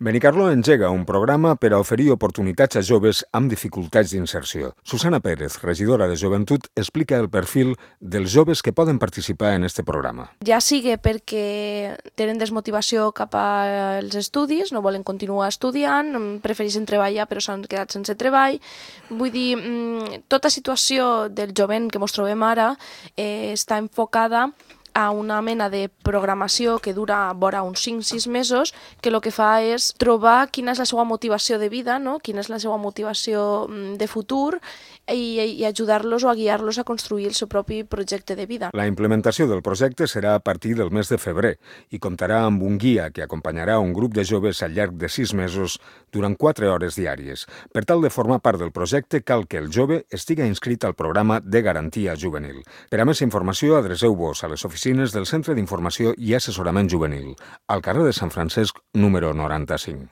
Benicarló engega un programa per a oferir oportunitats a joves amb dificultats d'inserció. Susana Pérez, regidora de Joventut, explica el perfil dels joves que poden participar en este programa. Ja sigui perquè tenen desmotivació cap als estudis, no volen continuar estudiant, prefereixen treballar però s'han quedat sense treball. Vull dir, tota situació del jovent que ens trobem ara està enfocada a una mena de programació que dura vora uns 5-6 mesos, que el que fa és trobar quina és la seva motivació de vida, no? Quina és la seva motivació de futur i ajudar-los o a guiar-los a construir el seu propi projecte de vida. La implementació del projecte serà a partir del mes de febrer i comptarà amb un guia que acompanyarà un grup de joves al llarg de 6 mesos durant 4 hores diàries. Per tal de formar part del projecte, cal que el jove estiga inscrit al programa de garantia juvenil. Per a més informació, adreceu-vos a les oficines del Centre d'Informació i Assessorament Juvenil, al carrer de Sant Francesc, número 95.